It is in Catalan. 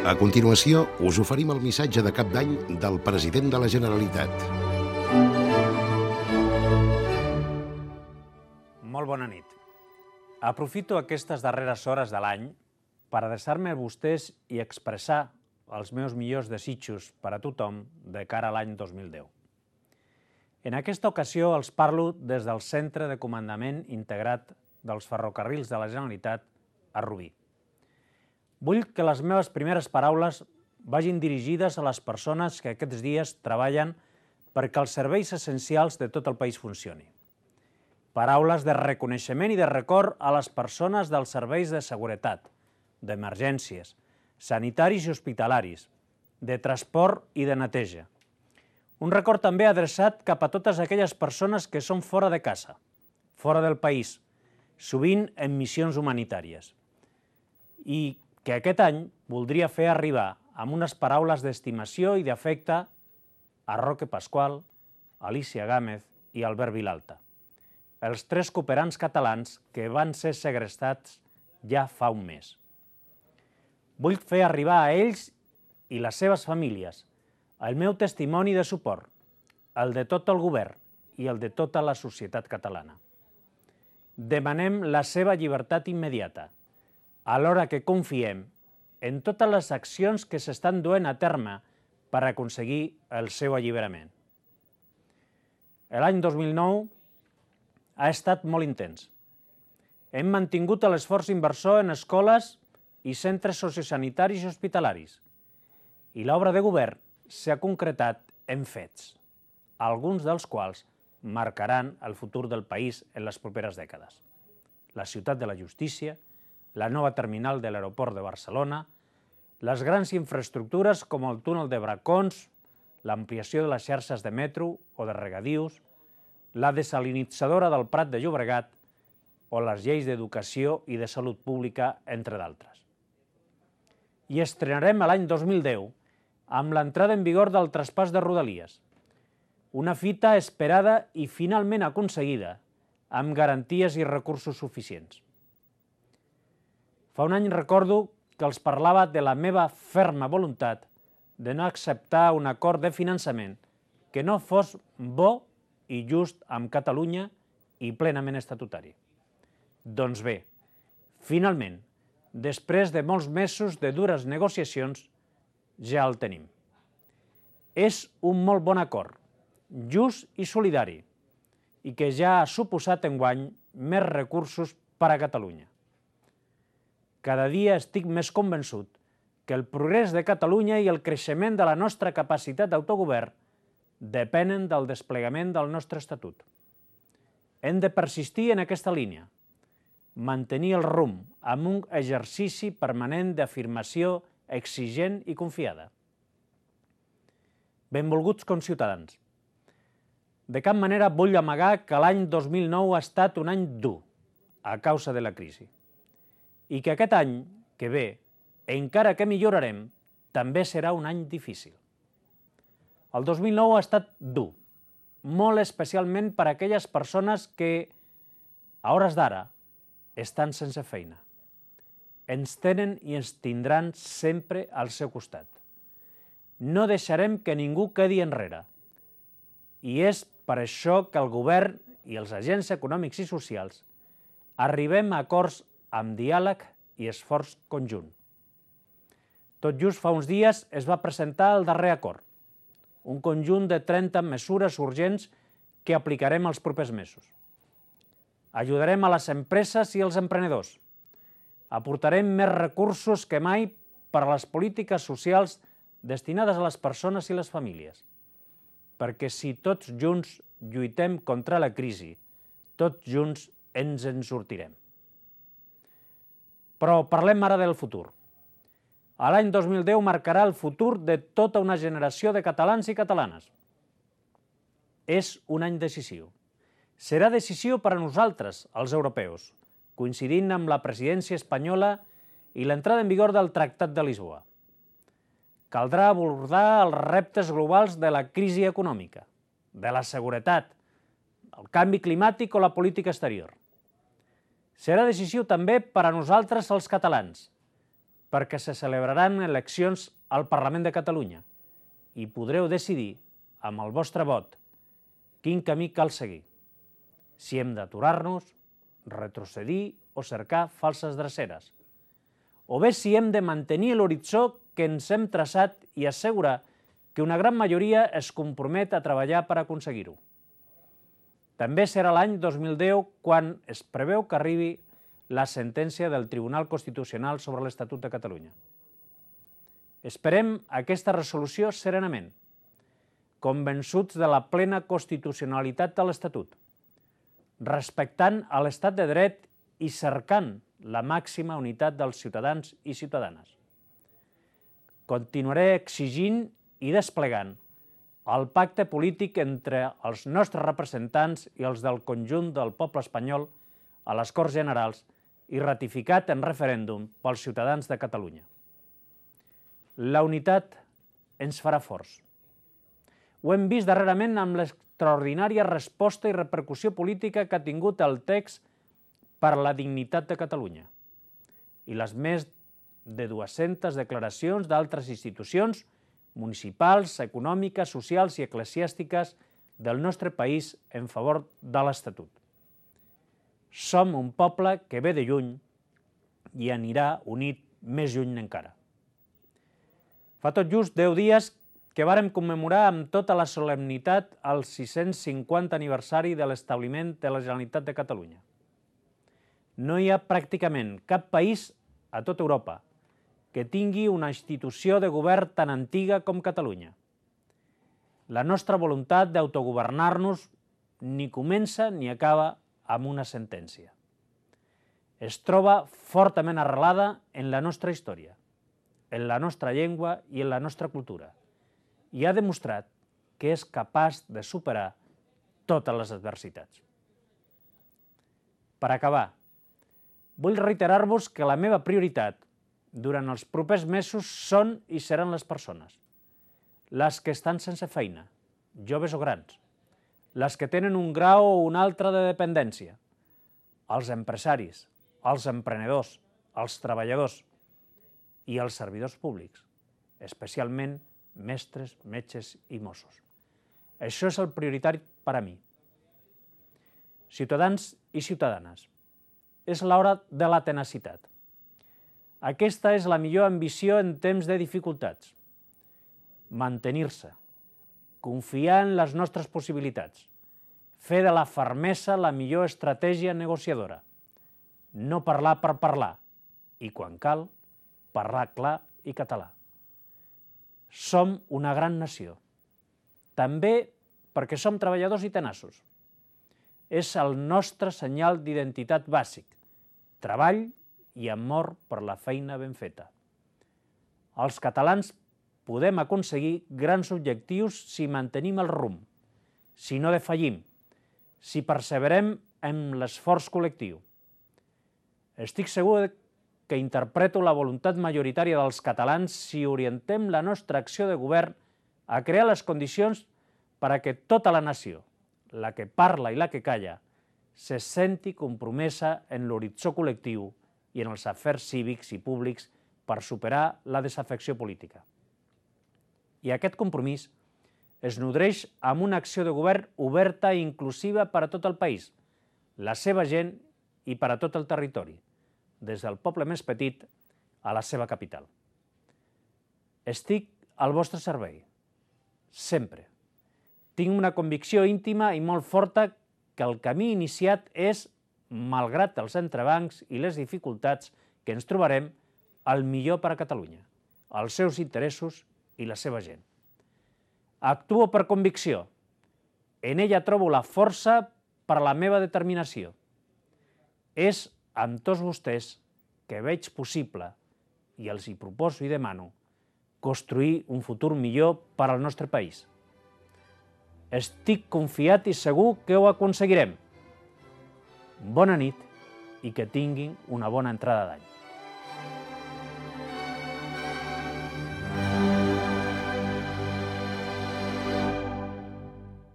A continuació, us oferim el missatge de cap d'any del president de la Generalitat. Molt bona nit. Aprofito aquestes darreres hores de l'any per adreçar-me a vostès i expressar els meus millors desitjos per a tothom de cara a l'any 2010. En aquesta ocasió els parlo des del Centre de Comandament Integrat dels Ferrocarrils de la Generalitat a Rubí. Vull que les meves primeres paraules vagin dirigides a les persones que aquests dies treballen perquè els serveis essencials de tot el país funcionin. Paraules de reconeixement i de record a les persones dels serveis de seguretat, d'emergències, sanitaris i hospitalaris, de transport i de neteja. Un record també adreçat cap a totes aquelles persones que són fora de casa, fora del país, sovint en missions humanitàries. I que aquest any voldria fer arribar amb unes paraules d'estimació i d'afecte a Roque Pasqual, Alicia Gámez i Albert Vilalta, els 3 cooperants catalans que van ser segrestats ja fa un mes. Vull fer arribar a ells i les seves famílies el meu testimoni de suport, el de tot el govern i el de tota la societat catalana. Demanem la seva llibertat immediata, alhora que confiem en totes les accions que s'estan duent a terme per aconseguir el seu alliberament. L'any 2009 ha estat molt intens. Hem mantingut l'esforç inversor en escoles i centres sociosanitaris i hospitalaris, i l'obra de govern s'ha concretat en fets, alguns dels quals marcaran el futur del país en les properes dècades. La ciutat de la justícia, la nova terminal de l'aeroport de Barcelona, les grans infraestructures com el túnel de Bracons, l'ampliació de les xarxes de metro o de regadius, la desalinitzadora del Prat de Llobregat o les lleis d'educació i de salut pública, entre d'altres. I estrenarem l'any 2010 amb l'entrada en vigor del traspàs de Rodalies, una fita esperada i finalment aconseguida amb garanties i recursos suficients. Fa un any recordo que els parlava de la meva ferma voluntat de no acceptar un acord de finançament que no fos bo i just amb Catalunya i plenament estatutari. Doncs bé, finalment, després de molts mesos de dures negociacions, ja el tenim. És un molt bon acord, just i solidari, i que ja ha suposat enguany més recursos per a Catalunya. Cada dia estic més convençut que el progrés de Catalunya i el creixement de la nostra capacitat d'autogovern depenen del desplegament del nostre Estatut. Hem de persistir en aquesta línia, mantenir el rumb amb un exercici permanent d'afirmació exigent i confiada. Benvolguts conciutadans, de cap manera vull amagar que l'any 2009 ha estat un any dur a causa de la crisi i que aquest any que ve, encara que millorarem, també serà un any difícil. El 2009 ha estat dur, molt especialment per a aquelles persones que, a hores d'ara, estan sense feina. Ens tenen i ens tindran sempre al seu costat. No deixarem que ningú quedi enrere. I és per això que el govern i els agents econòmics i socials arribem a acords amb diàleg i esforç conjunt. Tot just fa uns dies es va presentar el darrer acord, un conjunt de 30 mesures urgents que aplicarem els propers mesos. Ajudarem a les empreses i els emprenedors. Aportarem més recursos que mai per a les polítiques socials destinades a les persones i les famílies. Perquè si tots junts lluitem contra la crisi, tots junts ens en sortirem. Però parlem ara del futur. L'any 2010 marcarà el futur de tota una generació de catalans i catalanes. És un any decisiu. Serà decisiu per a nosaltres, els europeus, coincidint amb la presidència espanyola i l'entrada en vigor del Tractat de Lisboa. Caldrà abordar els reptes globals de la crisi econòmica, de la seguretat, el canvi climàtic o la política exterior. Serà decisiu també per a nosaltres els catalans, perquè se celebraran eleccions al Parlament de Catalunya i podreu decidir, amb el vostre vot, quin camí cal seguir. Si hem d'aturar-nos, retrocedir o cercar falses dreceres, o bé si hem de mantenir l'horitzó que ens hem traçat i assegurar que una gran majoria es compromet a treballar per aconseguir-ho. També serà l'any 2010 quan es preveu que arribi la sentència del Tribunal Constitucional sobre l'Estatut de Catalunya. Esperem aquesta resolució serenament, convençuts de la plena constitucionalitat de l'Estatut, respectant a l'Estat de dret i cercant la màxima unitat dels ciutadans i ciutadanes. Continuaré exigint i desplegant el pacte polític entre els nostres representants i els del conjunt del poble espanyol a les Corts Generals i ratificat en referèndum pels ciutadans de Catalunya. La unitat ens farà forts. Ho hem vist darrerament amb l'extraordinària resposta i repercussió política que ha tingut el text per la dignitat de Catalunya i les més de 200 declaracions d'altres institucions municipals, econòmiques, socials i eclesiàstiques del nostre país en favor de l'Estatut. Som un poble que ve de lluny i anirà unit més lluny encara. Fa tot just 10 dies que vàrem commemorar amb tota la solemnitat el 650 aniversari de l'establiment de la Generalitat de Catalunya. No hi ha pràcticament cap país a tota Europa que tingui una institució de govern tan antiga com Catalunya. La nostra voluntat d'autogovernar-nos ni comença ni acaba amb una sentència. Es troba fortament arrelada en la nostra història, en la nostra llengua i en la nostra cultura, i ha demostrat que és capaç de superar totes les adversitats. Per acabar, vull reiterar-vos que la meva prioritat durant els propers mesos són i seran les persones, les que estan sense feina, joves o grans, les que tenen un grau o un altre de dependència, els empresaris, els emprenedors, els treballadors i els servidors públics, especialment mestres, metges i Mossos. Això és el prioritari per a mi. Ciutadans i ciutadanes, és l'hora de la tenacitat. Aquesta és la millor ambició en temps de dificultats. Mantenir-se, confiar en les nostres possibilitats, fer de la fermesa la millor estratègia negociadora, no parlar per parlar i, quan cal, parlar clar i català. Som una gran nació, també perquè som treballadors i tenaços. És el nostre senyal d'identitat bàsic, treball i amor per la feina ben feta. Els catalans podem aconseguir grans objectius si mantenim el rumb, si no defallim, si perseverem en l'esforç col·lectiu. Estic segur que interpreto la voluntat majoritària dels catalans si orientem la nostra acció de govern a crear les condicions per a que tota la nació, la que parla i la que calla, se senti compromesa en l'horitzó col·lectiu i en els afers cívics i públics per superar la desafecció política. I aquest compromís es nodreix amb una acció de govern oberta i inclusiva per a tot el país, la seva gent i per a tot el territori, des del poble més petit a la seva capital. Estic al vostre servei, sempre. Tinc una convicció íntima i molt forta que el camí iniciat és, malgrat els entrebancs i les dificultats que ens trobarem, el millor per a Catalunya, els seus interessos i la seva gent. Actuo per convicció. En ella trobo la força per a la meva determinació. És amb tots vostès que veig possible, i els hi proposo i demano, construir un futur millor per al nostre país. Estic confiat i segur que ho aconseguirem. Bona nit i que tinguin una bona entrada d'any.